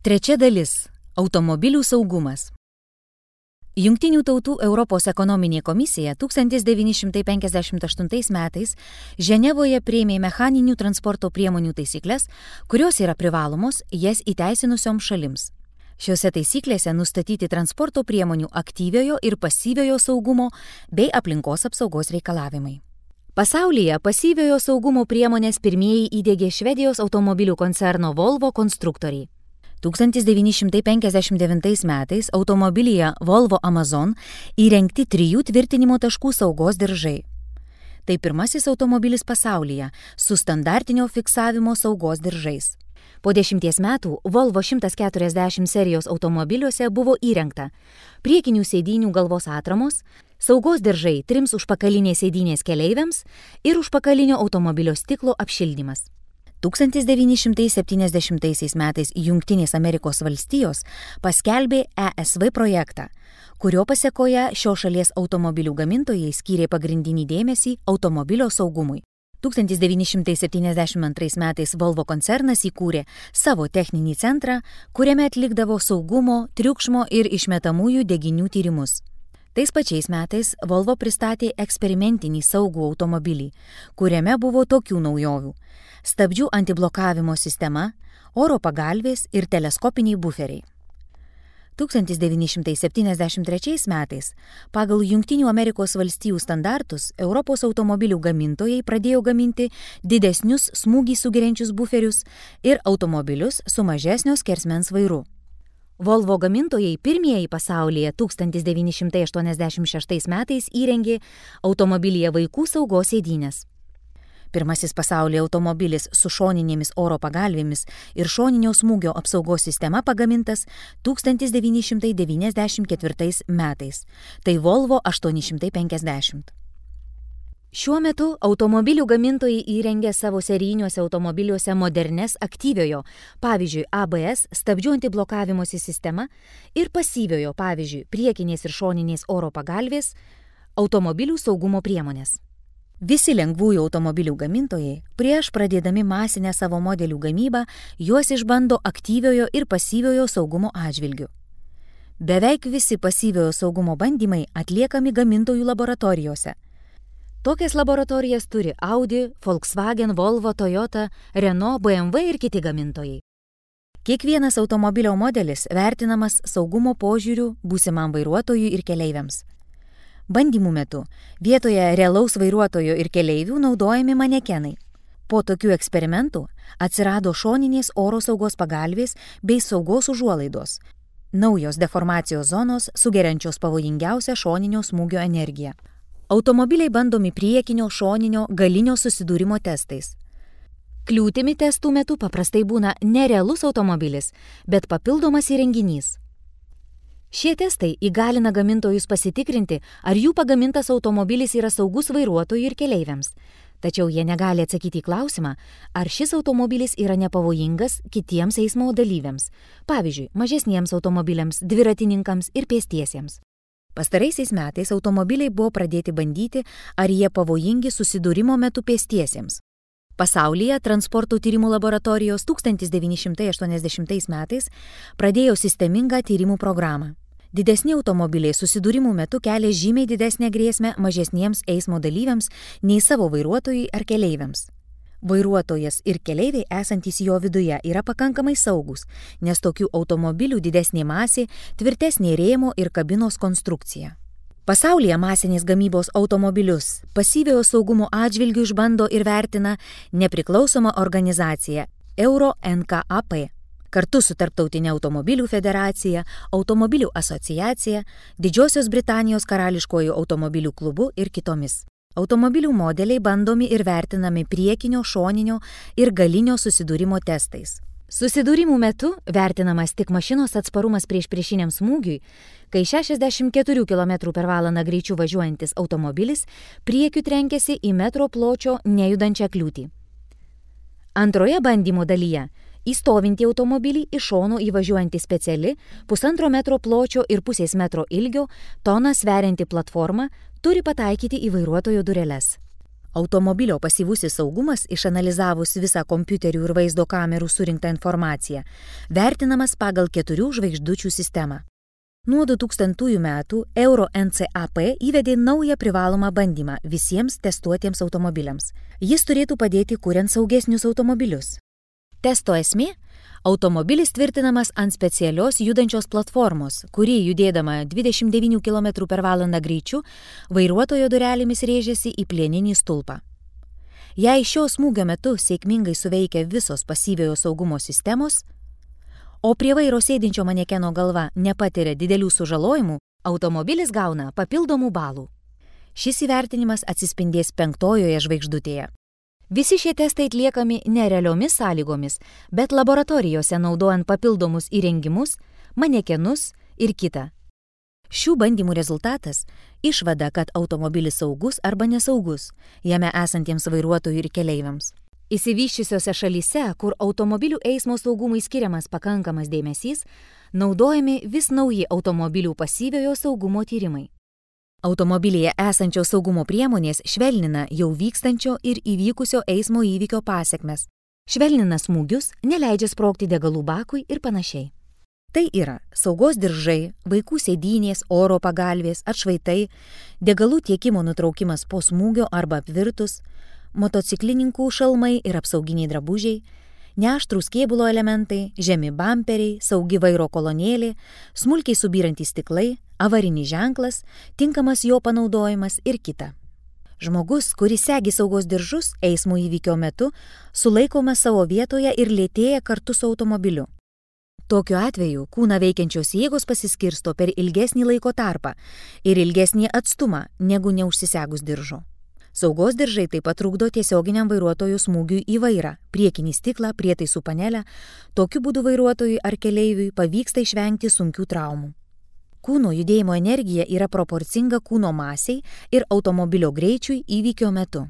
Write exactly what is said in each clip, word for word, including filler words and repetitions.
Trečia dalis – automobilių saugumas. Jungtinių tautų Europos ekonominė komisija tūkstantis devyni šimtai penkiasdešimt aštuntais metais Ženevoje priėmė mechaninių transporto priemonių taisyklės, kurios yra privalomos jas įteisinusioms šalims. Šiuose taisyklėse nustatyti transporto priemonių aktyviojo ir pasyviojo saugumo bei aplinkos apsaugos reikalavimai. Pasaulyje pasyviojo saugumo priemonės pirmieji įdiegė Švedijos automobilių koncerno Volvo konstruktoriai. tūkstantis devyni šimtai penkiasdešimt devintais metais automobilyje Volvo Amazon įrengti trijų tvirtinimo taškų saugos diržai. Tai pirmasis automobilis pasaulyje su standartinio fiksavimo saugos diržais. Po dešimties metų Volvo šimtas keturiasdešimt serijos automobiliuose buvo įrengta priekinių sėdynių galvos atramos, saugos diržai trims užpakalinės sėdynės keleiviams ir užpakalinio automobilio stiklo apšildymas. tūkstantis devyni šimtai septyniasdešimtaisiais metais Jungtinės Amerikos valstijos paskelbė E S V projektą, kurio pasekoje šios šalies automobilių gamintojai skyrė pagrindinį dėmesį automobilio saugumui. tūkstantis devyni šimtai septyniasdešimt antrais metais Volvo koncernas įkūrė savo techninį centrą, kuriame atlikdavo saugumo, triukšmo ir išmetamųjų deginių tyrimus. Tais pačiais metais Volvo pristatė eksperimentinį saugų automobilį, kuriame buvo tokių naujovių: stabdžių antiblokavimo sistema, oro pagalvės ir teleskopiniai buferiai. tūkstantis devyni šimtai septyniasdešimt trečiais metais pagal Jungtinių Amerikos valstijų standartus Europos automobilių gamintojai pradėjo gaminti didesnius smūgį sugeriančius buferius ir automobilius su mažesnio skersmens vairu. Volvo gamintojai pirmieji pasaulyje tūkstantis devyni šimtai aštuoniasdešimt šeštais metais įrengė automobilyje vaikų saugos sėdynes. Pirmasis pasaulyje automobilis su šoninėmis oro pagalvėmis ir šoninio smūgio apsaugos sistema pagamintas tūkstantis devyni šimtai devyniasdešimt ketvirtais metais. Tai Volvo aštuoni šimtai penkiasdešimt. Šiuo metu automobilių gamintojai įrengia savo serijiniuose automobiliuose modernes aktyviojo, pavyzdžiui, A B S stabdžių antiblokavimosi sistema ir pasyviojo, pavyzdžiui, priekinės ir šoninės oro pagalvės automobilių saugumo priemonės. Visi lengvųjų automobilių gamintojai prieš pradėdami masinę savo modelių gamybą juos išbando aktyviojo ir pasyviojo saugumo atžvilgiu. Beveik visi pasyviojo saugumo bandymai atliekami gamintojų laboratorijose. Tokias laboratorijas turi Audi, Volkswagen, Volvo, Toyota, Renault, B M W ir kiti gamintojai. Kiekvienas automobilio modelis vertinamas saugumo požiūriu būsimam vairuotojui ir keleiviams. Bandymų metu vietoje realaus vairuotojo ir keleivių naudojami manekenai. Po tokių eksperimentų atsirado šoninės oro saugos pagalvės bei saugos užuolaidos, naujos deformacijos zonos sugeriančios pavojingiausią šoninio smūgio energiją. Automobiliai bandomi priekinio, šoninio, galinio susidūrimo testais. Kliūtimi testų metu paprastai būna nerealus automobilis, bet papildomas įrenginys. Šie testai įgalina gamintojus pasitikrinti, ar jų pagamintas automobilis yra saugus vairuotojui ir keleiviams. Tačiau jie negali atsakyti į klausimą, ar šis automobilis yra nepavojingas kitiems eismo dalyviams, pavyzdžiui, mažesniems automobiliams, dviratininkams ir pėstiesiems. Pastaraisiais metais automobiliai buvo pradėti bandyti, ar jie pavojingi susidūrimo metu pėstiesiems. Pasaulyje transporto tyrimų laboratorijos tūkstantis devyni šimtai aštuoniasdešimtais metais pradėjo sistemingą tyrimų programą. Didesni automobiliai susidūrimų metu kelia žymiai didesnę grėsmę mažesniems eismo dalyviams nei savo vairuotojui ar keleiviams. Vairuotojas ir keleiviai esantys jo viduje yra pakankamai saugus, nes tokių automobilių didesnė masė, tvirtesnė rėmo ir kabinos konstrukcija. Pasaulyje masinės gamybos automobilius pasyviojo saugumo atžvilgiu išbando ir vertina nepriklausoma organizacija Euro N C A P. Kartu su Tarptautinė automobilių federacija, Automobilių asociacija, Didžiosios Britanijos karališkojų automobilių klubu ir kitomis. Automobilių modeliai bandomi ir vertinami priekinio, šoninio ir galinio susidūrimo testais. Susidūrimų metu vertinamas tik mašinos atsparumas prieš priešiniam smūgiui, kai šešiasdešimt keturių kilometrų per valandą greičiu važiuojantis automobilis priekiu trenkėsi į metro pločio nejudančią kliūtį. Antroje bandymo dalyje į stovintį automobilį iš šono įvažiuojanti speciali pusantro metro pločio ir pusės metro ilgio toną sverianti platforma turi pataikyti į vairuotojo dureles. Automobilio pasyvusis saugumas, išanalizavus visą kompiuterių ir vaizdo kamerų surinktą informaciją, vertinamas pagal keturių žvaigždučių sistemą. Nuo du tūkstantųjų metų Euro N C A P įvedė naują privalomą bandymą visiems testuotiems automobiliams. Jis turėtų padėti kuriant saugesnius automobilius. Testo esmė – automobilis tvirtinamas ant specialios judančios platformos, kuri judėdama dvidešimt devynių kilometrų per valandą greičiu, vairuotojo durelėmis rėžėsi į plieninį stulpą. Jei šio smūgio metu sėkmingai suveikia visos pasyviojo saugumo sistemos, o prie vairo sėdinčio manekeno galva nepatiria didelių sužalojimų, automobilis gauna papildomų balų. Šis įvertinimas atsispindės penktojoje žvaigždutėje. Visi šie testai atliekami ne realiomis sąlygomis, bet laboratorijose naudojant papildomus įrengimus, manekenus ir kitą. Šių bandymų rezultatas – išvada, kad automobilis saugus arba nesaugus, jame esantiems vairuotojų ir keleiviams. Išsivysčiusiose šalyse, kur automobilių eismo saugumui skiriamas pakankamas dėmesys, naudojami vis nauji automobilių pasyviojo saugumo tyrimai. Automobilyje esančios saugumo priemonės švelnina jau vykstančio ir įvykusio eismo įvykio pasekmes, švelnina smūgius, neleidžia sprogti degalų bakui ir panašiai. Tai yra saugos diržai, vaikų sėdynės, oro pagalvės, atšvaitai, degalų tiekimo nutraukimas po smūgio arba apvirtus, motociklininkų šalmai ir apsauginiai drabužiai, neaštrūs kėbulo elementai, žemi bamperiai, saugi vairo kolonėlė, smulkiai subyrantys stiklai, avarinis ženklas, tinkamas jo panaudojimas ir kita. Žmogus, kuris segi saugos diržus eismo įvykio metu, sulaikomas savo vietoje ir lėtėja kartu su automobiliu. Tokiu atveju kūną veikiančios jėgos pasiskirsto per ilgesnį laiko tarpą ir ilgesnį atstumą negu neužsisegus diržo. Saugos diržai taip pat trukdo tiesioginiam vairuotojų smūgiui į vairą, priekinį stiklą, prietaisų panelę, tokiu būdu vairuotojui ar keleiviui pavyksta išvengti sunkių traumų. Kūno judėjimo energija yra proporcinga kūno masiai ir automobilio greičiui įvykio metu.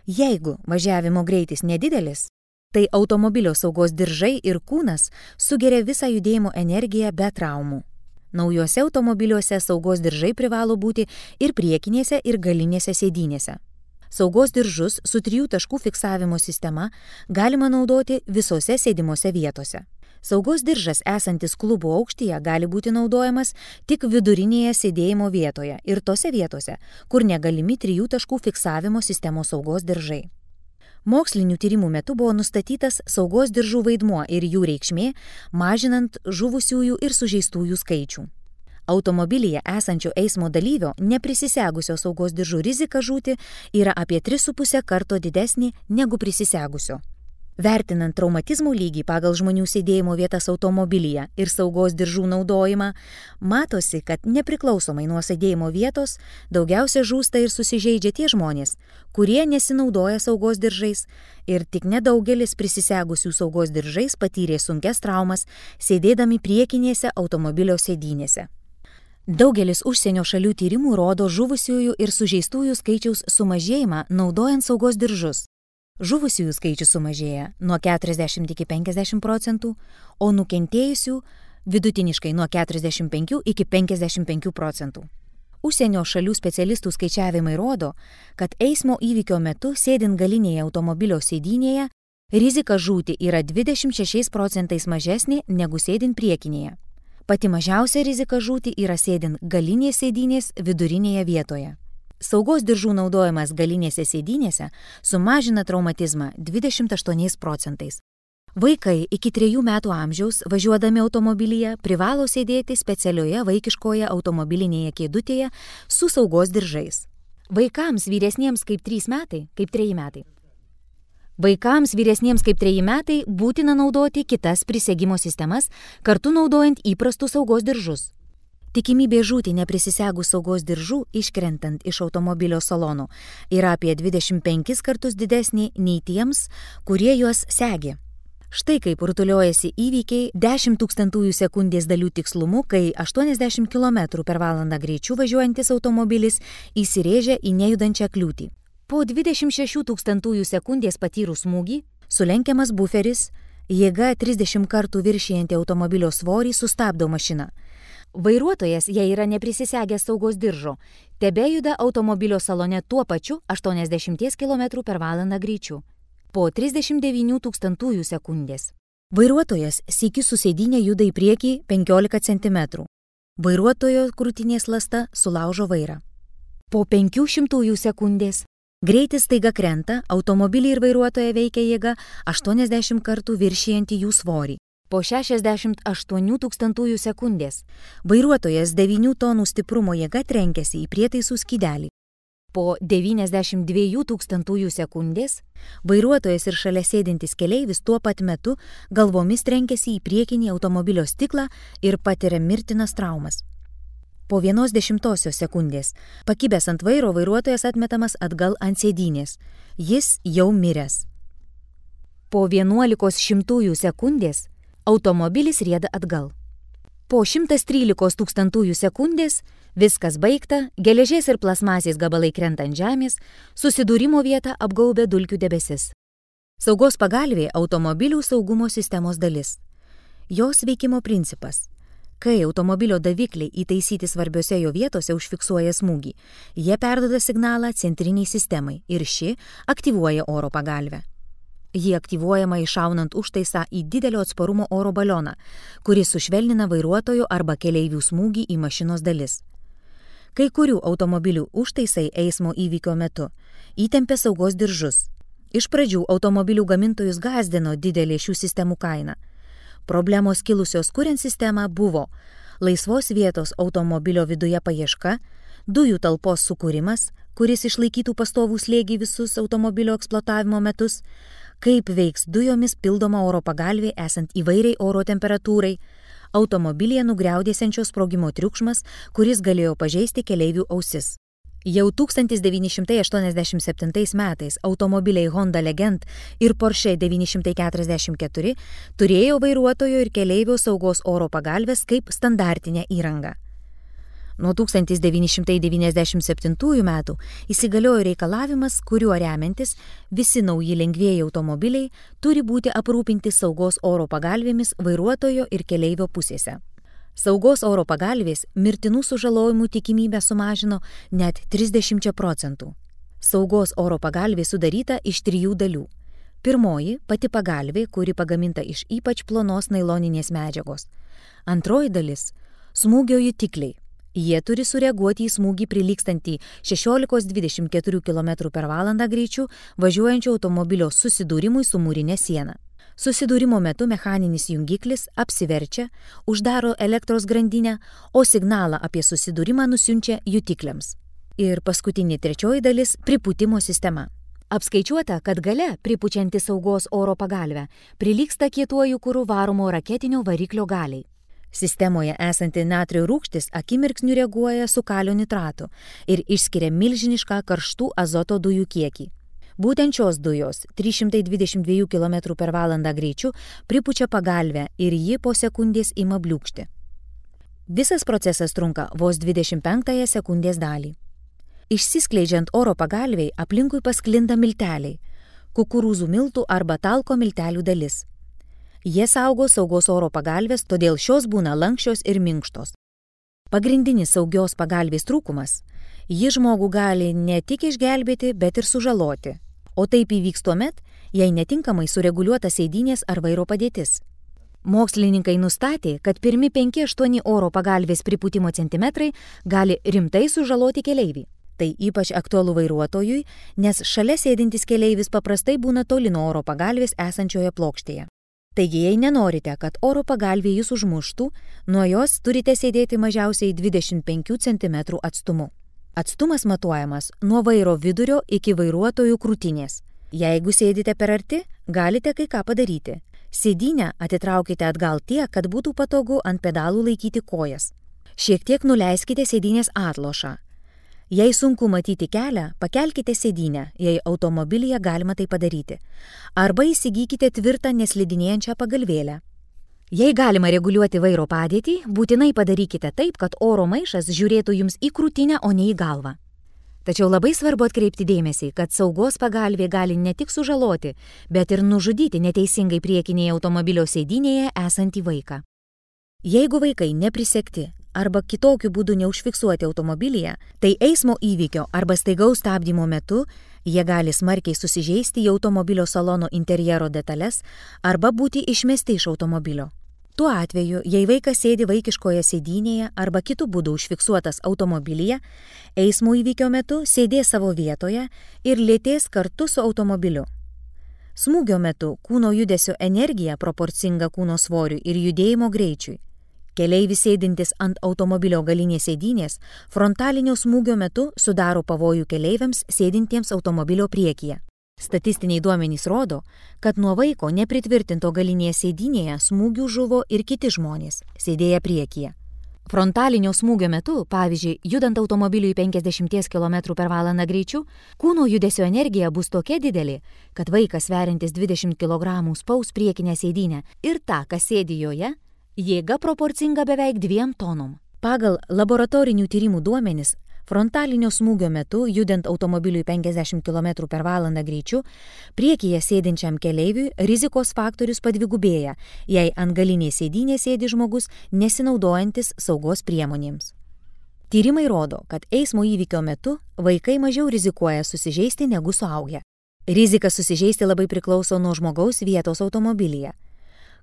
Jeigu važiavimo greitis nedidelis, tai automobilio saugos diržai ir kūnas sugeria visą judėjimo energiją be traumų. Naujuose automobiliuose saugos diržai privalo būti ir priekinėse ir galinėse sėdynėse. Saugos diržus su trijų taškų fiksavimo sistema galima naudoti visose sėdimose vietose. Saugos diržas esantis klubo aukštyje gali būti naudojamas tik vidurinėje sėdėjimo vietoje ir tose vietose, kur negalimi trijų taškų fiksavimo sistemos saugos diržai. Mokslinių tyrimų metu buvo nustatytas saugos diržų vaidmuo ir jų reikšmė, mažinant žuvusiųjų ir sužeistųjų skaičių. Automobilyje esančio eismo dalyvio neprisisegusio saugos diržų rizika žūti yra apie tris su puse karto didesnė negu prisisegusio. Vertinant traumatizmų lygį pagal žmonių sėdėjimo vietas automobilyje ir saugos diržų naudojimą, matosi, kad nepriklausomai nuo sėdėjimo vietos daugiausia žūsta ir susižeidžia tie žmonės, kurie nesinaudoja saugos diržais ir tik nedaugelis prisisegusių saugos diržais patyrė sunkias traumas sėdėdami priekinėse automobilio sėdynėse. Daugelis užsienio šalių tyrimų rodo žuvusiųjų ir sužeistųjų skaičiaus sumažėjimą naudojant saugos diržus. Žuvusiųjų skaičius sumažėja nuo keturiasdešimt iki penkiasdešimt procentų, o nukentėjusių vidutiniškai nuo keturiasdešimt penkių iki penkiasdešimt penkių procentų. Užsienio šalių specialistų skaičiavimai rodo, kad eismo įvykio metu sėdint galinėje automobilio sėdynėje, rizika žūti yra dvidešimt šešiais procentais mažesnė negu sėdint priekinėje. Pati mažiausia rizika žūti yra sėdint galinės sėdynės vidurinėje vietoje. Saugos diržų naudojimas galinėse sėdynėse sumažina traumatizmą dvidešimt aštuoniais procentais. Vaikai iki trejų metų amžiaus važiuodami automobilyje privalo sėdėti specialioje vaikiškoje automobilinėje kėdutėje su saugos diržais. Vaikams vyresniems kaip trys metai, kaip treji metai. Vaikams vyresniems kaip treji metai būtina naudoti kitas prisegimo sistemas, kartu naudojant įprastus saugos diržus. Tikimybė žūti neprisisegus saugos diržų iškrentant iš automobilio salono yra apie dvidešimt penkis kartus didesnė nei tiems, kurie juos segi. Štai kaip rutuliojasi įvykiai dešimt tūkstantųjų sekundės dalių tikslumu, kai aštuoniasdešimt kilometrų per valandą greičiu važiuojantis automobilis įsirėžia į nejudančią kliūtį. Po dvidešimt šešių tūkstantųjų sekundės patyrus smūgį, sulenkiamas buferis, jėga trisdešimt kartų viršijanti automobilio svorį sustabdo mašiną. Vairuotojas, jei yra neprisisegęs saugos diržo, tebejuda automobilio salone tuo pačiu aštuoniasdešimt kilometrų per valandą greičiu. Po trisdešimt devynių tūkstantųjų sekundės. Vairuotojas sykiu su sėdynė juda į priekį penkiolika centimetrų. Vairuotojo krūtinės lasta sulaužo vairą. Po penkių šimtųjų sekundės. Greitis staiga krenta, automobilį ir vairuotoją veikia jėga aštuoniasdešimt kartų viršijantį jų svorį. Po šešiasdešimt aštuonių tūkstantųjų sekundės vairuotojas devynių tonų stiprumo jėga trenkėsi į prietaisų skydelį. Po devyniasdešimt dviejų tūkstantųjų sekundės vairuotojas ir šalia sėdintis keleivis tuo pat metu galvomis trenkėsi į priekinį automobilio stiklą ir patiria mirtinas traumas. Po vienos dešimtosios sekundės pakibęs ant vairo vairuotojas atmetamas atgal ant sėdynės. Jis jau miręs. Po vienuolikos šimtųjų sekundės automobilis rieda atgal. Po šimtas trylikos tūkstantųjų sekundės viskas baigta, geležies ir plasmasės gabalai krenta ant žemės, susidūrimo vietą apgaubė dulkių debesis. Saugos pagalvė automobilių saugumo sistemos dalis. Jos veikimo principas. Kai automobilio davikliai įtaisyti svarbiose jo vietose užfiksuoja smūgį, jie perduoda signalą centriniai sistemai ir ši aktyvuoja oro pagalvę. Ji aktyvuojama iššaunant užtaisą į didelio atsparumo oro balioną, kuris sušvelnina vairuotojo arba keleivių smūgį į mašinos dalis. Kai kurių automobilių užtaisai eismo įvykio metu įtempė saugos diržus. Iš pradžių automobilių gamintojus gąsdino didelė šių sistemų kaina. Problemos kilusios kuriant sistemą buvo laisvos vietos automobilio viduje paieška, dujų talpos sukūrimas, kuris išlaikytų pastovų slėgį visus automobilio eksploatavimo metus, kaip veiks dujomis pildoma oro pagalvė esant įvairiai oro temperatūrai, automobilyje nugriaudėsiančio sprogimo triukšmas, kuris galėjo pažeisti keleivių ausis. Jau tūkstantis devyni šimtai aštuoniasdešimt septintais metais automobiliai Honda Legend ir Porsche devyni šimtai keturiasdešimt keturi turėjo vairuotojo ir keleivio saugos oro pagalvės kaip standartinę įrangą. Nuo tūkstantis devyni šimtai devyniasdešimt septintųjų metų įsigaliojo reikalavimas, kuriuo remiantis visi nauji lengvieji automobiliai turi būti aprūpinti saugos oro pagalvėmis vairuotojo ir keleivio pusėse. Saugos oro pagalvės mirtinų sužalojimų tikimybę sumažino net trisdešimt procentų. Saugos oro pagalvė sudaryta iš trijų dalių. Pirmoji – pati pagalvė, kuri pagaminta iš ypač plonos nailoninės medžiagos. Antroji dalis – smūgio jutikliai. Jie turi sureaguoti į smūgį prilygstantį šešiolikos dvidešimt keturių kilometrų per valandą greičiu važiuojančio automobilio susidūrimui su mūrine siena. Susidūrimo metu mechaninis jungiklis apsiverčia, uždaro elektros grandinę, o signalą apie susidūrimą nusiunčia jutikliams. Ir paskutinė trečioji dalis – pripūtimo sistema. Apskaičiuota, kad gale pripučianti saugos oro pagalvę prilygsta kietuoju kuru varomo raketinio variklio galiai. Sistemoje esanti natrio rūgštis akimirksniu reaguoja su kalio nitratu ir išskiria milžinišką karštų azoto dujų kiekį. Būtent šios dujos trys šimtai dvidešimt dviejų kilometrų per valandą greičiu pripučia pagalvę ir ji po sekundės ima bliūkšti. Visas procesas trunka vos dvidešimt penktąją sekundės dalį. Išsiskleidžiant oro pagalvei aplinkui pasklinda milteliai, kukurūzų miltų arba talko miltelių dalis. Jie saugo saugos oro pagalvės, todėl šios būna lankščios ir minkštos. Pagrindinis saugios pagalvės trūkumas – ji žmogų gali ne tik išgelbėti, bet ir sužaloti. O taip įvyks tuomet, jei netinkamai sureguliuota sėdynės ar vairo padėtis. Mokslininkai nustatė, kad pirmi penki aštuoni oro pagalvės pripūtimo centimetrai gali rimtai sužaloti keleivį. Tai ypač aktualu vairuotojui, nes šalia sėdintis keleivis paprastai būna toli nuo oro pagalvės esančioje plokštėje. Taigi, jei nenorite, kad oro pagalvė jūs užmuštų, nuo jos turite sėdėti mažiausiai dvidešimt penkių centimetrų atstumu. Atstumas matuojamas nuo vairo vidurio iki vairuotojų krūtinės. Jeigu sėdite per arti, galite kai ką padaryti. Sėdynę atitraukite atgal tiek, kad būtų patogu ant pedalų laikyti kojas. Šiek tiek nuleiskite sėdynės atlošą. Jei sunku matyti kelią, pakelkite sėdynę, jei automobilyje galima tai padaryti. Arba įsigykite tvirtą neslidinėjančią pagalvėlę. Jei galima reguliuoti vairo padėtį, būtinai padarykite taip, kad oro maišas žiūrėtų jums į krūtinę, o ne į galvą. Tačiau labai svarbu atkreipti dėmesį, kad saugos pagalvė gali ne tik sužaloti, bet ir nužudyti neteisingai priekinėje automobilio sėdynėje esantį vaiką. Jeigu vaikai neprisegti arba kitokiu būdu neužfiksuoti automobilyje, tai eismo įvykio arba staigaus stabdymo metu jie gali smarkiai susižeisti į automobilio salono interjero detalės arba būti išmesti iš automobilio. Tuo atveju, jei vaikas sėdi vaikiškoje sėdynėje arba kitų būdų užfiksuotas automobilyje, eismo įvykio metu sėdės savo vietoje ir lėtės kartu su automobiliu. Smūgio metu kūno judesio energija proporcinga kūno svoriui ir judėjimo greičiui. Keleivis sėdintis ant automobilio galinės sėdynės frontalinio smūgio metu sudaro pavojų keleiviams sėdintiems automobilio priekyje. Statistiniai duomenys rodo, kad nuo vaiko nepritvirtinto galinėje sėdynėje smūgių žuvo ir kiti žmonės, sėdėję priekyje. Frontalinio smūgio metu, pavyzdžiui, judant automobiliui penkiasdešimt kilometrų per valandą greičiu, kūno judesio energija bus tokia didelė, kad vaikas sveriantis dvidešimt kilogramų spaus priekinę sėdynę ir tą, kas sėdi joje, jėga proporcinga beveik dviem tonom. Pagal laboratorinių tyrimų duomenis, frontalinio smūgio metu, judant automobiliui penkiasdešimt kilometrų per valandą greičiu, priekyje sėdinčiam keleiviui rizikos faktorius padvigubėja, jei ant galinės sėdynės sėdi žmogus nesinaudojantis saugos priemonėms. Tyrimai rodo, kad eismo įvykio metu vaikai mažiau rizikuoja susižeisti negu suaugę. Rizika susižeisti labai priklauso nuo žmogaus vietos automobilyje.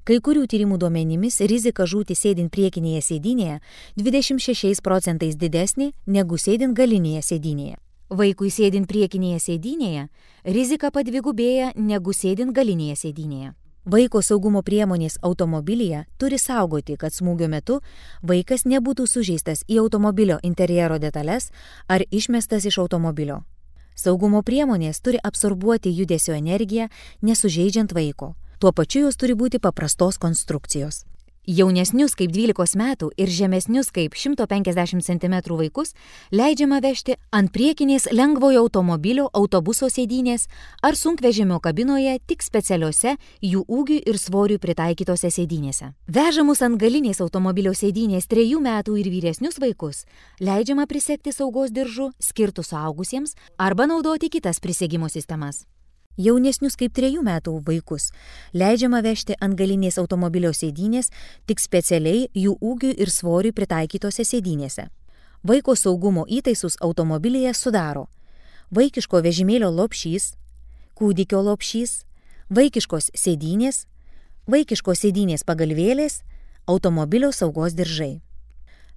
Kai kurių tyrimų duomenimis rizika žūti sėdint priekinėje sėdynėje dvidešimt šešiais procentais didesnė negu sėdint galinėje sėdynėje. Vaikui sėdint priekinėje sėdynėje rizika padvigubėja negu sėdint galinėje sėdynėje. Vaiko saugumo priemonės automobilyje turi saugoti, kad smūgio metu vaikas nebūtų sužeistas į automobilio interjero detalės ar išmestas iš automobilio. Saugumo priemonės turi absorbuoti judesio energiją, nesužeidžiant vaiko. Tuo pačiu jos turi būti paprastos konstrukcijos. Jaunesnius kaip dvylikos metų ir žemesnius kaip šimto penkiasdešimt centimetrų vaikus leidžiama vežti ant priekinės lengvojo automobilio autobuso sėdynės ar sunkvežimio kabinoje tik specialiose jų ūgiui ir svoriui pritaikytose sėdynėse. Vežamus ant galinės automobilio sėdynės trejų metų ir vyresnius vaikus leidžiama prisegti saugos diržu skirtus suaugusiems arba naudoti kitas prisegimo sistemas. Jaunesnius kaip trejų metų vaikus leidžiama vežti ant galinės automobilio sėdynės tik specialiai jų ūgiui ir svoriui pritaikytose sėdynėse. Vaiko saugumo įtaisus automobilyje sudaro vaikiško vežimėlio lopšys, kūdikio lopšys, vaikiškos sėdynės, vaikiškos sėdynės pagalvėlės, automobilio saugos diržai.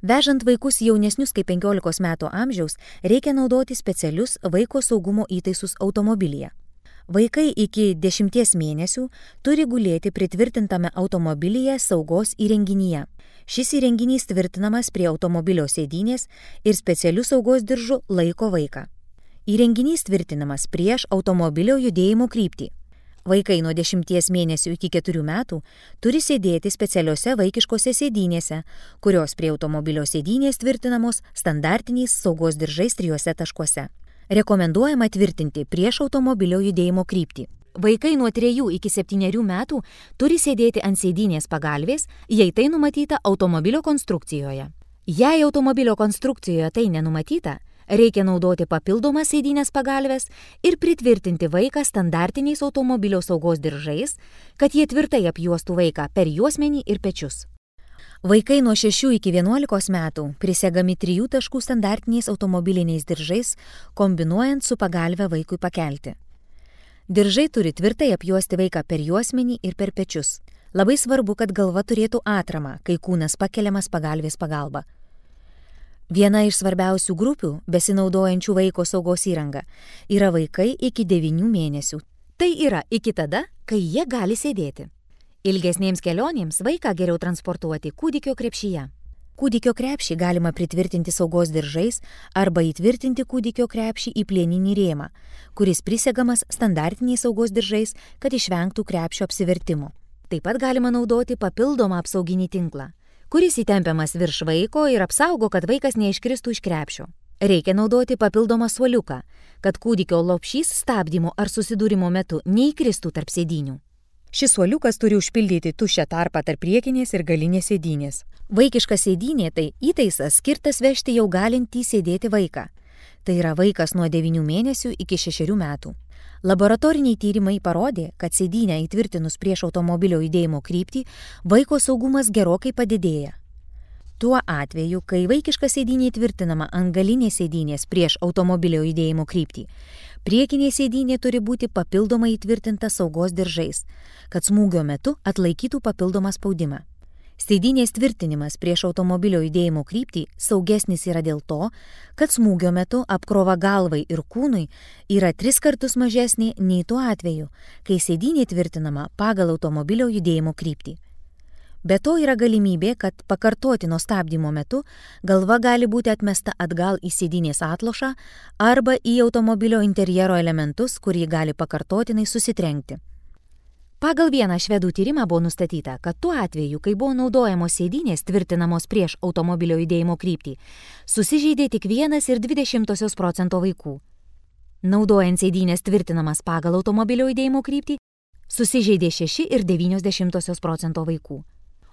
Vežant vaikus jaunesnius kaip penkiolikos metų amžiaus reikia naudoti specialius vaiko saugumo įtaisus automobilyje. Vaikai iki dešimties mėnesių turi gulėti pritvirtintame automobilyje saugos įrenginyje. Šis įrenginys tvirtinamas prie automobilio sėdynės ir specialių saugos diržų laiko vaiką. Įrenginys tvirtinamas prieš automobilio judėjimo kryptį. Vaikai nuo dešimties mėnesių iki keturių metų turi sėdėti specialiose vaikiškose sėdynėse, kurios prie automobilio sėdynės tvirtinamos standartiniais saugos diržais trijuose taškuose. Rekomenduojama tvirtinti prieš automobilio judėjimo kryptį. Vaikai nuo trejų iki septynerių metų turi sėdėti ant sėdynės pagalvės, jei tai numatyta automobilio konstrukcijoje. Jei automobilio konstrukcijoje tai nenumatyta, reikia naudoti papildomas sėdynės pagalves ir pritvirtinti vaiką standartiniais automobilio saugos diržais, kad jie tvirtai apjuostų vaiką per juosmenį ir pečius. Vaikai nuo šešių iki vienuolikos metų prisegami trijų taškų standartiniais automobiliniais diržais, kombinuojant su pagalve vaikui pakelti. Diržai turi tvirtai apjuosti vaiką per juosmenį ir per pečius. Labai svarbu, kad galva turėtų atramą, kai kūnas pakeliamas pagalvės pagalba. Viena iš svarbiausių grupių, besinaudojančių vaiko saugos įrangą, yra vaikai iki devynių mėnesių. Tai yra iki tada, kai jie gali sėdėti. Ilgesnėms kelionėms vaiką geriau transportuoti kūdikio krepšyje. Kūdikio krepšį galima pritvirtinti saugos diržais arba įtvirtinti kūdikio krepšį į plieninį rėmą, kuris prisegamas standartiniais saugos diržais, kad išvengtų krepšio apsivertimo. Taip pat galima naudoti papildomą apsauginį tinklą, kuris įtempiamas virš vaiko ir apsaugo, kad vaikas neiškristų iš krepšio. Reikia naudoti papildomą suoliuką, kad kūdikio lopšys stabdymo ar susidūrimo metu neįkristų tarp sėdynių. Šis suoliukas turi užpildyti tuščią tarpą tarp priekinės ir galinės sėdynės. Vaikiška sėdynė tai įtaisas skirtas vežti jau galintį sėdėti vaiką. Tai yra vaikas nuo devynių mėnesių iki šešerių metų. Laboratoriniai tyrimai parodė, kad sėdynę įtvirtinus prieš automobilio judėjimo kryptį, vaiko saugumas gerokai padidėja. Tuo atveju, kai vaikiška sėdynė įtvirtinama ant galinės sėdynės prieš automobilio judėjimo kryptį, priekinė sėdynė turi būti papildomai įtvirtinta saugos diržais, kad smūgio metu atlaikytų papildomą spaudimą. Sėdynės tvirtinimas prieš automobilio judėjimo kryptį saugesnis yra dėl to, kad smūgio metu apkrova galvai ir kūnui yra tris kartus mažesnė nei tuo atveju, kai sėdynė tvirtinama pagal automobilio judėjimo kryptį. Be to yra galimybė, kad pakartotino stabdymo metu galva gali būti atmesta atgal į sėdynės atlošą arba į automobilio interjero elementus, kur ji gali pakartotinai susitrenkti. Pagal vieną švedų tyrimą buvo nustatyta, kad tuo atveju, kai buvo naudojamos sėdynės tvirtinamos prieš automobilio judėjimo kryptį, susižeidė tik vienas ir dvi dešimtosios procento vaikų. Naudojant sėdynės tvirtinamas pagal automobilio judėjimo kryptį, susižeidė šeši ir devynios dešimtosios procento vaikų.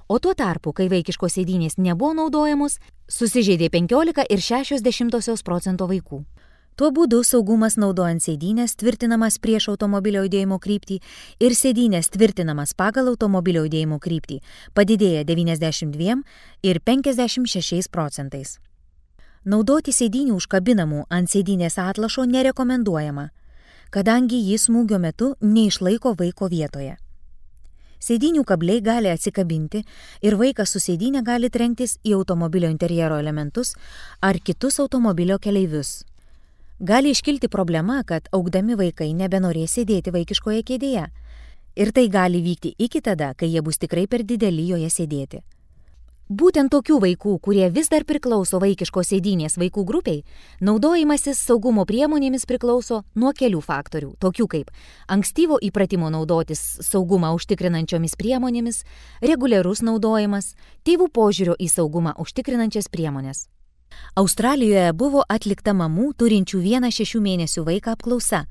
O tuo tarpu, kai vaikiškos sėdynės nebuvo naudojamos, susižeidė penkiolika ir šešios dešimtosios procento vaikų. Tuo būdu saugumas naudojant sėdynės tvirtinamas prieš automobilio judėjimo kryptį ir sėdynės tvirtinamas pagal automobilio judėjimo kryptį padidėja devyniasdešimt dviem ir penkiasdešimt šešiais procentais. Naudoti sėdynių užkabinamų ant sėdynės atlašo nerekomenduojama, kadangi jis smūgio metu neišlaiko vaiko vietoje. Sėdynių kabliai gali atsikabinti ir vaikas su sėdynė gali trenktis į automobilio interjero elementus ar kitus automobilio keleivius. Gali iškilti problema, kad augdami vaikai nebenorės sėdėti vaikiškoje kėdėje ir tai gali vykti iki tada, kai jie bus tikrai per dideli joje sėdėti. Būtent tokių vaikų, kurie vis dar priklauso vaikiškos sėdynės vaikų grupiai, naudojimasis saugumo priemonėmis priklauso nuo kelių faktorių, tokių kaip ankstyvo įpratimo naudotis saugumą užtikrinančiomis priemonėmis, reguliarus naudojimas, tėvų požiūrio į saugumą užtikrinančias priemonės. Australijoje buvo atlikta mamų turinčių vieną šešių mėnesių vaiką apklausa,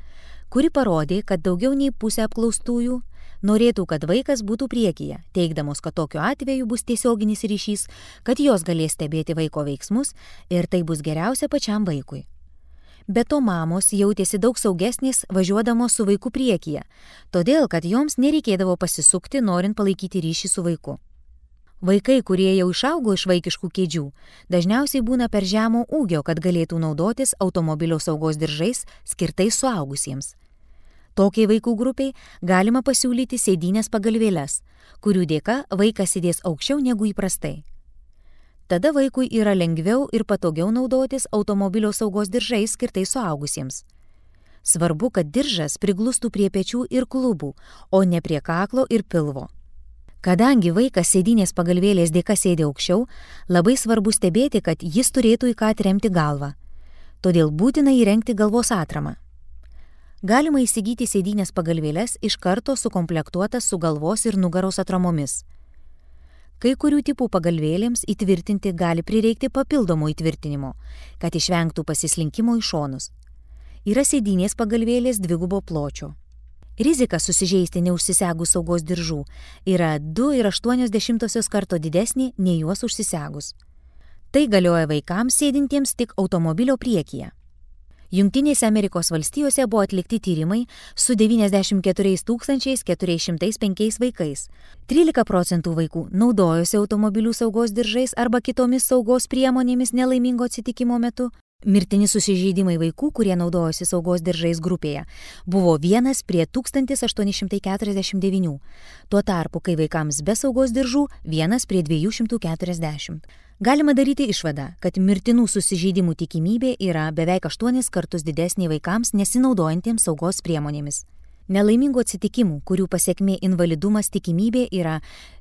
kuri parodė, kad daugiau nei pusė apklaustųjų norėtų, kad vaikas būtų priekyje, teigdamos, kad tokiu atveju bus tiesioginis ryšys, kad jos galės stebėti vaiko veiksmus ir tai bus geriausia pačiam vaikui. Be to mamos jautėsi daug saugesnės važiuodamos su vaiku priekyje, todėl, kad joms nereikėdavo pasisukti, norint palaikyti ryšį su vaiku. Vaikai, kurie jau išaugo iš vaikiškų kėdžių, dažniausiai būna per žemo ūgio, kad galėtų naudotis automobilio saugos diržais skirtais suaugusiems. Tokiai vaikų grupiai galima pasiūlyti sėdynės pagalvėles, kurių dėka vaikas sėdės aukščiau negu įprastai. Tada vaikui yra lengviau ir patogiau naudotis automobilio saugos diržais skirtais suaugusiems. Svarbu, kad diržas priglustų prie pečių ir klubų, o ne prie kaklo ir pilvo. Kadangi vaikas sėdynės pagalvėlės dėka sėdi aukščiau, labai svarbu stebėti, kad jis turėtų į ką atremti galvą. Todėl būtina įrengti galvos atramą. Galima įsigyti sėdynės pagalvėles iš karto sukomplektuotas su galvos ir nugaros atramomis. Kai kurių tipų pagalvėlėms įtvirtinti gali prireikti papildomo įtvirtinimo, kad išvengtų pasislinkimo į šonus. Yra sėdynės pagalvėlės dvigubo pločio. Rizika susižeisti neužsisegus saugos diržų yra du ir aštuonios dešimtosios karto didesnė nei juos užsisegus. Tai galioja vaikams sėdintiems tik automobilio priekyje. Jungtinėse Amerikos valstijose buvo atlikti tyrimai su devyniasdešimt keturiais tūkstančiais keturiais šimtais penkiais vaikais. trylika procentų vaikų naudojosi automobilių saugos diržais arba kitomis saugos priemonėmis nelaimingo atsitikimo metu. Mirtini susižeidimai vaikų, kurie naudojosi saugos diržais grupėje, buvo vienas prie tūkstantis aštuoni šimtai keturiasdešimt devynių. Tuo tarpu, kai vaikams be saugos diržų, vienas prie dviejų šimtų keturiasdešimt. Galima daryti išvadą, kad mirtinų susižeidimų tikimybė yra beveik aštuonis kartus didesnė vaikams nesinaudojantiems saugos priemonėmis. Nelaimingų atsitikimų, kurių pasekmė invalidumas tikimybė yra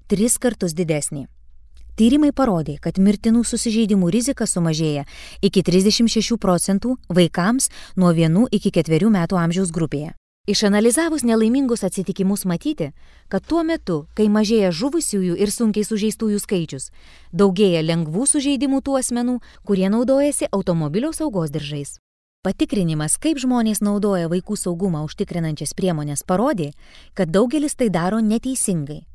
tris kartus didesnė. Tyrimai parodė, kad mirtinų susižeidimų rizika sumažėja iki trisdešimt šešių procentų vaikams nuo vienų iki ketverių metų amžiaus grupėje. Išanalizavus nelaimingus atsitikimus matyti, kad tuo metu, kai mažėja žuvusiųjų ir sunkiai sužeistųjų skaičius, daugėja lengvų sužeidimų tų asmenų, kurie naudojasi automobilio saugos diržais. Patikrinimas, kaip žmonės naudoja vaikų saugumą užtikrinančias priemonės, parodė, kad daugelis tai daro neteisingai.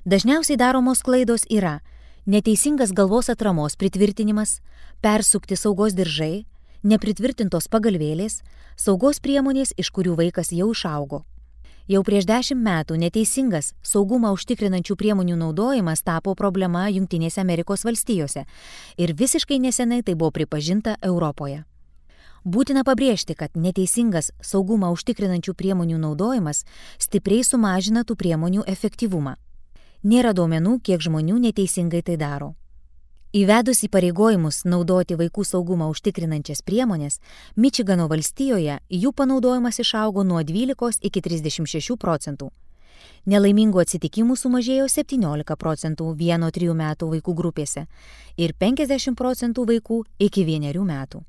Dažniausiai daromos klaidos yra neteisingas galvos atramos pritvirtinimas, persukti saugos diržai, nepritvirtintos pagalvėlės, saugos priemonės, iš kurių vaikas jau išaugo. Jau prieš dešimt metų neteisingas saugumą užtikrinančių priemonių naudojimas tapo problema Jungtinėse Amerikos valstijose ir visiškai nesenai tai buvo pripažinta Europoje. Būtina pabrėžti, kad neteisingas saugumą užtikrinančių priemonių naudojimas stipriai sumažina tų priemonių efektyvumą. Nėra duomenų, kiek žmonių neteisingai tai daro. Įvedus įpareigojimus naudoti vaikų saugumą užtikrinančias priemonės, Mičigano valstijoje jų panaudojimas išaugo nuo dvylikos iki trisdešimt šešių procentų. Nelaimingų atsitikimų sumažėjo septyniolika procentų vieno trijų metų vaikų grupėse ir penkiasdešimt procentų vaikų iki vienerių metų.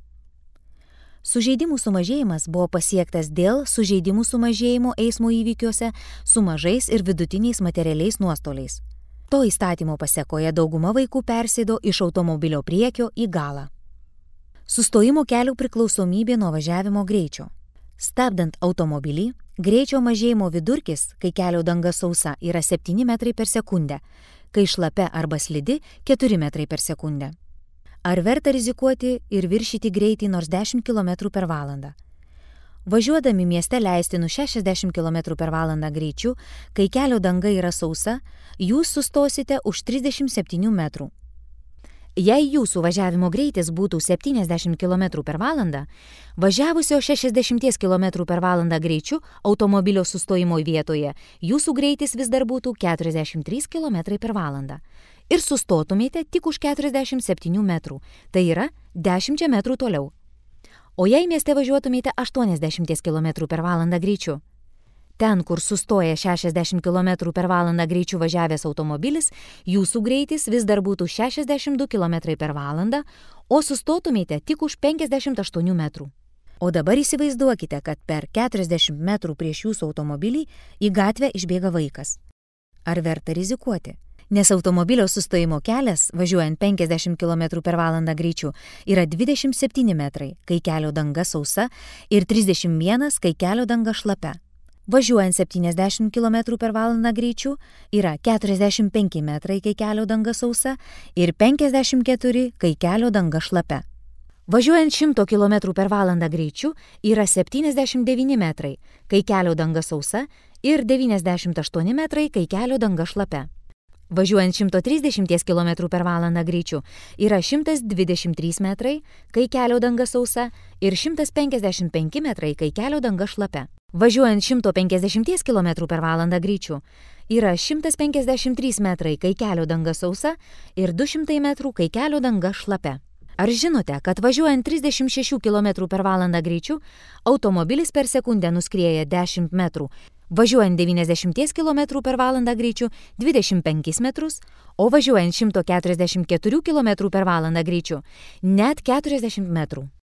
Sužeidimų sumažėjimas buvo pasiektas dėl sužeidimų sumažėjimo eismo įvykiuose su mažais ir vidutiniais materialiais nuostoliais. To įstatymo pasekoje dauguma vaikų persėdo iš automobilio priekio į galą. Sustojimo kelių priklausomybė nuo važiavimo greičio. Stabdant automobilį, greičio mažėjimo vidurkis, kai kelio danga sausa, yra septyni metrai per sekundę, kai šlapia arba slidi keturi metrai per sekundę. Ar verta rizikuoti ir viršyti greitį nors dešimt kilometrų per valandą? Važiuodami mieste leistinų šešiasdešimt kilometrų per valandą greičiu, kai kelio danga yra sausa, jūs sustosite už trisdešimt septynių metrų. Jei jūsų važiavimo greitis būtų septyniasdešimt kilometrų per valandą, važiavusio šešiasdešimt kilometrų per valandą greičiu automobilio sustojimo vietoje, jūsų greitis vis dar būtų keturiasdešimt trys kilometrai per valandą. Ir sustotumėte tik už keturiasdešimt septynių metrų, tai yra dešimt metrų toliau. O jei mieste važiuotumėte aštuoniasdešimt kilometrų per valandą greičiu? Ten, kur sustoja šešiasdešimt kilometrų per valandą greičiu važiavęs automobilis, jūsų greitis vis dar būtų šešiasdešimt du kilometrai per valandą, o sustotumėte tik už penkiasdešimt aštuonių metrų. O dabar įsivaizduokite, kad per keturiasdešimt metrų prieš jūsų automobilį į gatvę išbėga vaikas. Ar verta rizikuoti? Nes automobilio sustojimo kelias, važiuojant penkiasdešimt kilometrų per valandą greičiu, yra dvidešimt septyni metrai, kai kelio danga sausa, ir trisdešimt vienas, kai kelio danga šlapia. Važiuojant septyniasdešimt kilometrų per valandą greičiu, yra keturiasdešimt penki metrai, kai kelio danga sausa, ir penkiasdešimt keturi, kai kelio danga šlapia. Važiuojant šimto kilometrų per valandą greičiu, yra septyniasdešimt devyni metrai, kai kelio danga sausa, ir devyniasdešimt aštuoni metrai, kai kelio danga šlapia. Važiuojant šimto trisdešimt kilometrų per valandą greičiu, yra šimtas dvidešimt trys metrai, kai kelio danga sausa, ir šimtas penkiasdešimt penki metrai, kai kelio danga šlapia. Važiuojant šimto penkiasdešimt kilometrų per valandą greičiu, yra šimtas penkiasdešimt trys metrai, kai kelio danga sausa, ir du šimtai metrų, kai kelio danga šlapia. Ar žinote, kad važiuojant trisdešimt šešių kilometrų per valandą greičiu, automobilis per sekundę nuskrieja dešimt metrų, važiuojant devyniasdešimt kilometrų per valandą greičiu dvidešimt penkis metrus, o važiuojant šimto keturiasdešimt keturių kilometrų per valandą greičiu net keturiasdešimt metrų.